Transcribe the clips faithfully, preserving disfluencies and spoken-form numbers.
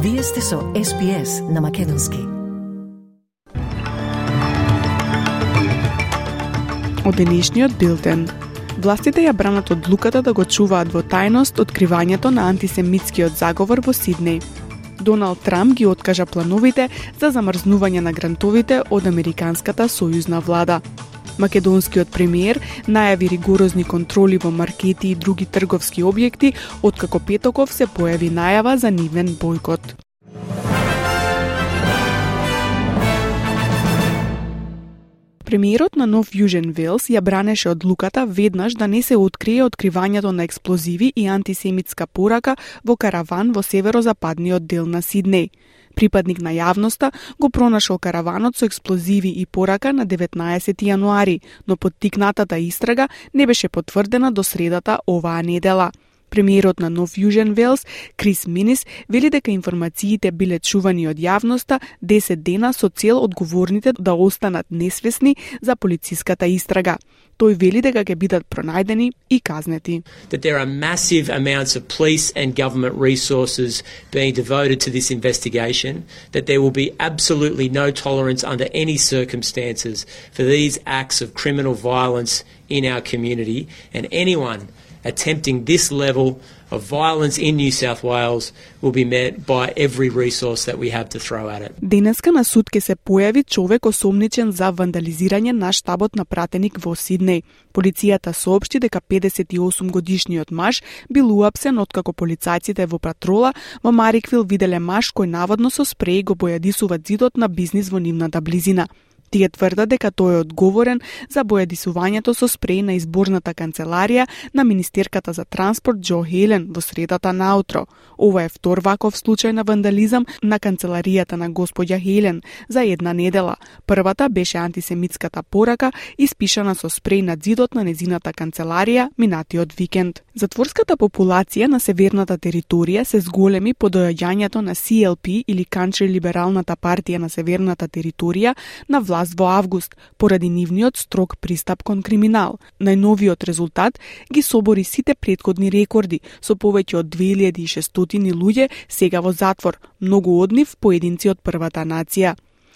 Вие сте со Ес Би Ес на Македонски. Од денешниот билтен. Властите ја бранат одлуката да го чуваат во тајност откривањето на антисемитскиот заговор во Сиднеј. Доналд Трамп ги откажа плановите за замрзнување на грантовите од американската сојузна влада. Македонскиот премиер најави ригорозни контроли во маркети и други трговски објекти, откако петоков се појави најава за нивен бојкот. Премиерот на Нов Јужен Велс ја бранеше одлуката веднаш да не се открие откривањето на експлозиви и антисемитска порака во караван во северозападниот дел на Сиднеј. Припадник на јавноста го пронашол караванот со експлозиви и порака на деветнаесети јануари, но поттикнатата истрага не беше потврдена до средата оваа недела. Премиерот на Нов Јужен Велс, Крис Минис, вели дека информациите биле чувани од јавноста десет дена со цел одговорните да останат несвесни за полициската истрага. Тој вели дека ќе бидат пронајдени и казнети. That there are massive amounts of police and government resources being devoted to this investigation, that there will be absolutely no tolerance under any circumstances for these acts of criminal violence in our community, and anyone attempting this level of violence in New South Wales will be met by every resource that we have to throw at it. Денеска на суд ке се појави човек осомничен за вандализирање на штабот на пратеник во Сиднеј. Полицијата соопшти дека педесет и осум годишниот маж бил уапсен откако полицајците во патрола во Мариквил виделе маж кој наводно со спреј го бојадисува зидот на бизнис во нивната близина. Тие тврдат дека тој е одговорен за бојадисувањето со спреј на изборната канцеларија на министерката за транспорт Џо Хелен во средата наутро. Ова е втор ваков случај на вандализам на канцеларијата на господја Хелен за една недела. Првата беше антисемитската порака испишана со спреј на зидот на незината канцеларија минатиот викенд. Затворската популација на северната територија се зголеми по доаѓањето на Си Ел Пи или Кантри либералната партија на северната територија на власт во август, поради нивниот строг пристап кон криминал. Најновиот резултат ги собори сите претходни рекорди, со повеќе од две илјади и шестстотини луѓе сега во затвор, многу од нив поединци од првата нација.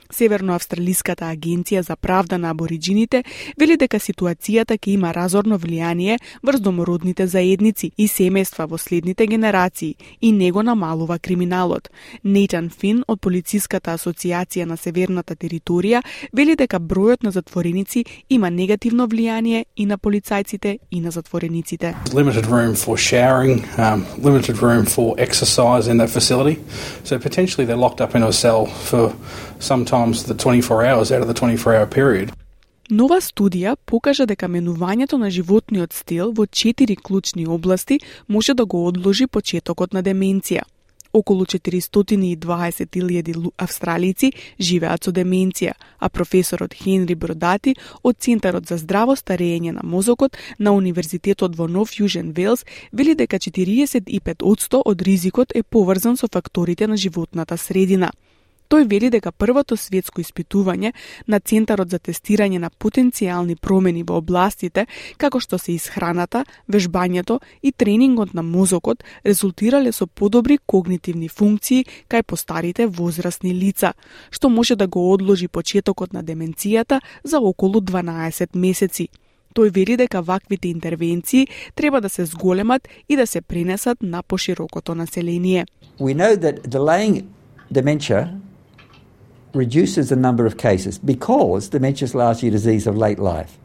Северноавстралиската агенција за правда на абориџините вели дека ситуацијата ќе има разорно влијание врз домородните заедници и семејства во следните генерации и не го намалува криминалот. Нейтан Фин од Полициската асоциација на северната територија вели дека бројот на затвореници има негативно влијание и на полицајците и на затворениците. Limited room for showering, um, limited room for exercise in that facility. So potentially they're locked up in a cell for sometimes the twenty-four hours out of the twenty-four hour period. Нова студија покажа дека менувањето на животниот стил во четири клучни области може да го одложи почетокот на деменција. Околу четиристотини и дваесет илјади австралици живеат со деменција, а професорот Хенри Бродати од Центарот за здраво старење на мозокот на Универзитетот во Нов Јужен Велс вели дека четириесет и пет одсто од ризикот е поврзан со факторите на животната средина. Тој вели дека првото светско испитување на Центарот за тестирање на потенцијални промени во областите како што се исхраната, вежбањето и тренингот на мозокот резултирале со подобри когнитивни функции кај постарите возрастни лица, што може да го одложи почетокот на деменцијата за околу дванаесет месеци. Тој вели дека ваквите интервенции треба да се зголемат и да се пренесат на поширокото население. We know that delaying dementia reduces the number of cases because dementia is largely a disease of late life.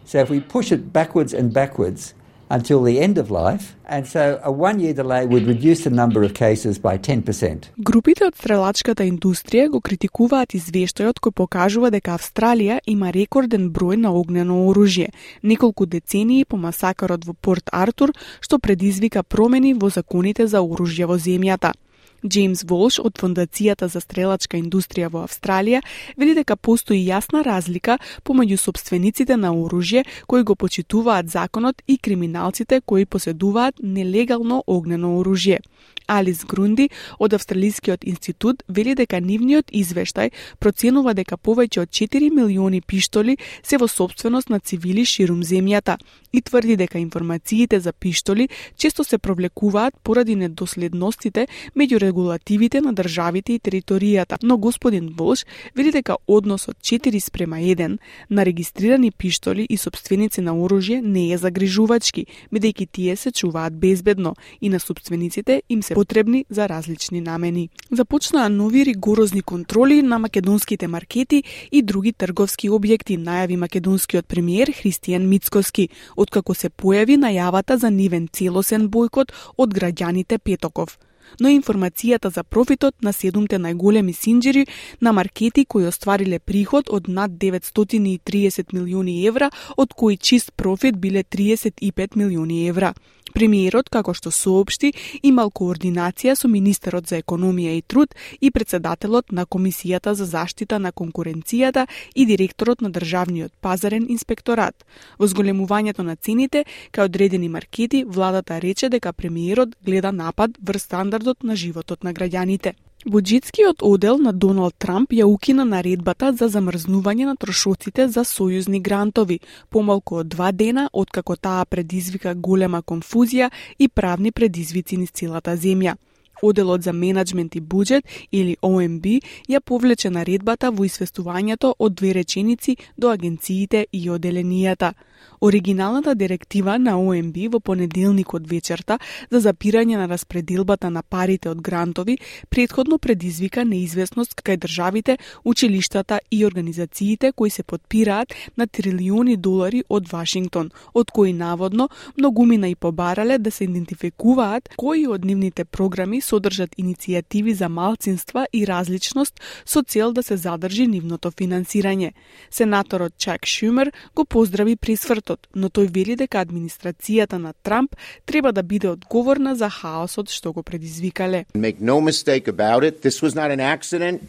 So if we push it backwards and backwards until the end of life, and so a one-year delay would reduce the number of cases by ten percent. Групите од стрелачката индустрија го критикуваат извештајот кој покажува дека Австралија има рекорден број на огнено оружје, неколку децении по масакарот во Порт Артур, што предизвика промени во законите за оружје во земјата. Джеймс Волш од Фондацијата за стрелачка индустрија во Австралија вели дека постои јасна разлика помеѓу сопствениците на оружје кои го почитуваат законот и криминалците кои поседуваат нелегално огнено оружје. Алис Грунди од Австралискиот институт вели дека нивниот извештај проценува дека повеќе од четири милиони пиштоли се во сопственост на цивили ширум земјата и тврди дека информациите за пиштоли често се провлекуваат поради недоследностите меѓу регулативите на државите и територијата. Но господин Волш вели дека односот четири спрема еден на регистрирани пиштоли и сопственици на оружје не е загрижувачки, бидејќи тие се чуваат безбедно и на сопствениците им се потребни за различни намени. Започнаа нови ригорозни контроли на македонските маркети и други трговски објекти, најави македонскиот премиер Христијан Мицкоски, откако се појави најавата за нивен целосен бојкот од граѓаните петоков. Но информацијата за профитот на седумте најголеми синџери на маркети кои оствариле приход од над деветстотини и триесет милиони евра, од кои чист профит биле триесет и пет милиони евра. Премиерот, како што соопшти, имал координација со министерот за економија и труд и председателот на Комисијата за заштита на конкуренцијата и директорот на Државниот пазарен инспекторат. Во зголемувањето на цените кај одредени маркети, владата рече дека премиерот гледа напад врз стандардот на животот на граѓаните. Буџетскиот одел на Доналд Трамп ја укина наредбата за замрзнување на трошоците за сојузни грантови, помалку од два дена откако таа предизвика голема конфузија и правни предизвици низ целата земја. Оделот за менаџмент и буџет, или О Ем Би, ја повлече наредбата во известувањето од две реченици до агенциите и оделенијата. Оригиналната директива на О Ем Би во понеделникот вечерта за запирање на распределбата на парите од грантови претходно предизвика неизвестност кај државите, училиштата и организациите кои се потпираат на трилиони долари од Вашингтон, од кои наводно многумина и побарале да се идентификуваат кои од нивните програми содржат иницијативи за малцинства и различност со цел да се задржи нивното финансирање. Сенаторот Чак Шумер го поздрави присвртот, но тој вели дека администрацијата на Трамп треба да биде одговорна за хаосот што го предизвикале. Make no mistake about it, this was not an accident.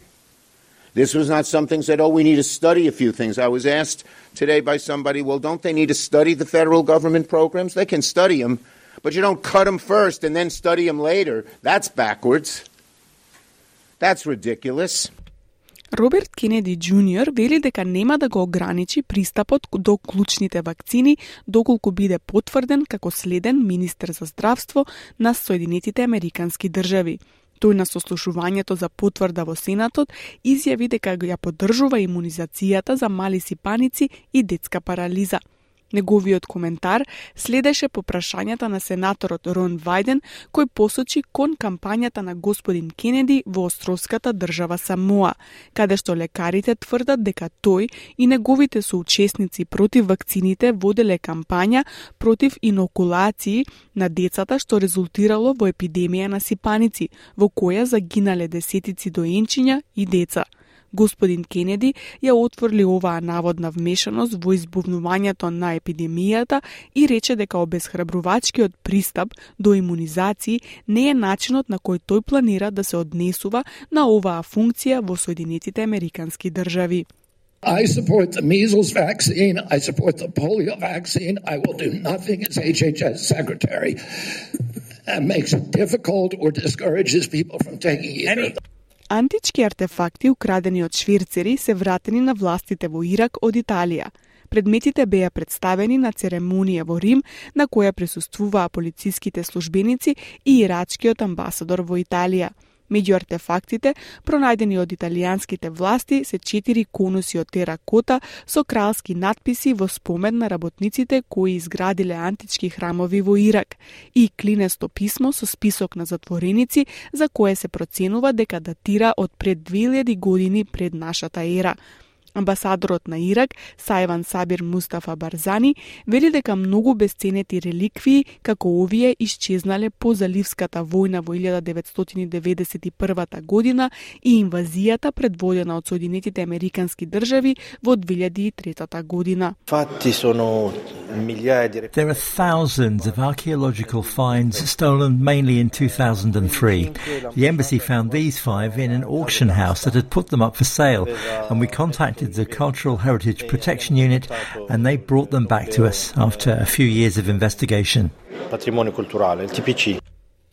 This was not something said, oh, we need to study a few things. I was asked today by somebody, well, don't they need to study the federal government programs? They can study them, but you don't cut them first and then study them later. That's backwards. That's ridiculous. Роберт Кенеди Џуниор вели дека нема да го ограничи пристапот до клучните вакцини доколку биде потврден како следен министер за здравство на Соединетите Американски држави. Тој на сослушувањето за потврда во Сенатот изјави дека ја поддржува имунизацијата за мали сипаници и детска парализа. Неговиот коментар следеше по прашањата на сенаторот Рон Вајден, кој посочи кон кампањата на господин Кенеди во островската држава Самоа, каде што лекарите тврдат дека тој и неговите соучесници против вакцините воделе кампања против инокулации на децата, што резултирало во епидемија на сипаници, во која загинале десетици доенчиња и деца. Господин Кенеди ја отворли оваа наводна вмешаност во избувнувањето на епидемијата и рече дека обезхрабрувачкиот пристап до имунизации не е начинот на кој тој планира да се однесува на оваа функција во Соединетите Американски држави. I support the measles vaccine. I support the polio vaccine. I will do nothing as H H S secretary that makes it difficult or discourages people from taking either. Антички артефакти украдени од шверцери се вратени на властите во Ирак од Италија. Предметите беа представени на церемонија во Рим, на која присуствуваа полициските службеници и ирачкиот амбасадор во Италија. Меѓу артефактите, пронајдени од италијанските власти, се четири конуси од теракота со кралски надписи во спомен на работниците кои изградиле антички храмови во Ирак и клинесто писмо со список на затвореници за кое се проценува дека датира од пред две илјади години пред нашата ера. Амбасадорот на Ирак, Сајван Сабир Мустафа Барзани, вели дека многу бесценети реликвии, како овие, исчезнале по Заливската војна во илјада деветстотини деветдесет и прва година и инвазијата предводена од Соединетите Американски држави во две илјади и трета година. There are thousands of archaeological finds stolen mainly in two thousand three. The embassy found these five in an auction house that had put them up for sale, and we contacted the Cultural Heritage Protection Unit and they brought them back to us after a few years of investigation.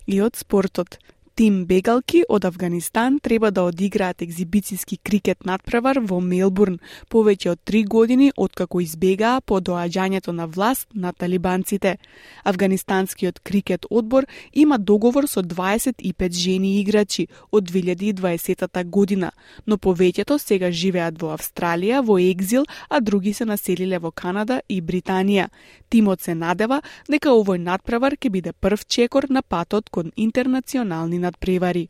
И од спортот. Тим бегалки од Авганистан треба да одиграат екзибицијски крикет надпревар во Мелбурн повеќе од три години откако избегаа по доаѓањето на власт на талибанците. Афганистанскиот крикет одбор има договор со дваесет и пет жени играчи од две илјади и дваесета година, но повеќето сега живеат во Австралија во екзил, а други се населиле во Канада и Британија. Тимот се надева дека овој надпревар ќе биде прв чекор на патот кон интернационални надпревари.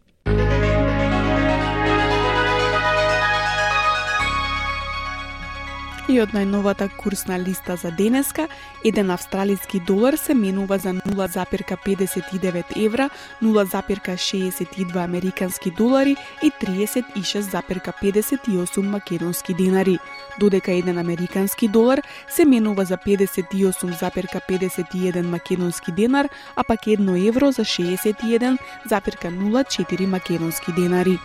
И од најновата курсна листа за денеска, еден австралиски долар се менува за нула запирка педесет и девет евра, нула запирка шеесет и два американски долари и триесет и шест запирка педесет и осум македонски денари, додека еден американски долар се менува за педесет и осум запирка педесет и еден македонски денар, а пак едно евро за шеесет и еден запирка нула четири македонски денари.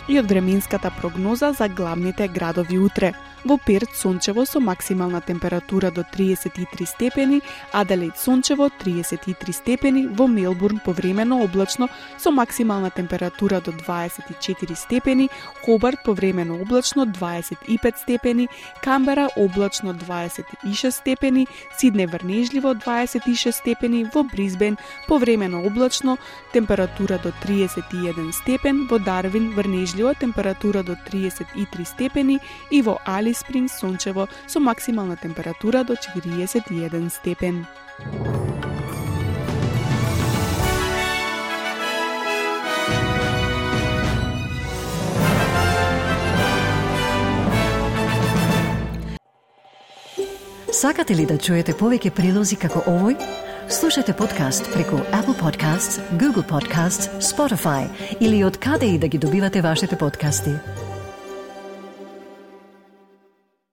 И од временската прогноза за главните градови утре. Во Перт сончево со максимална температура до триесет и три степени, Аделаид сончево триесет и три степени, во Мелбурн повремено облачно со максимална температура до дваесет и четири степени, Хобарт повремено облачно дваесет и пет степени, Камбера облачно дваесет и шест степени, Сиднеј врнежливо дваесет и шест степени, во Брисбен повремено облачно температура до триесет и еден степен, во Дарвин врнежливо температура до триесет и три степени и во Алис Спрингс сончево со максимална температура до четириесет и еден степен. Сакате ли да чуете повеќе прилози како овој? Слушате подкаст преку Apple Podcasts, Google Podcasts, Spotify или од каде и да ги добивате вашите подкасти.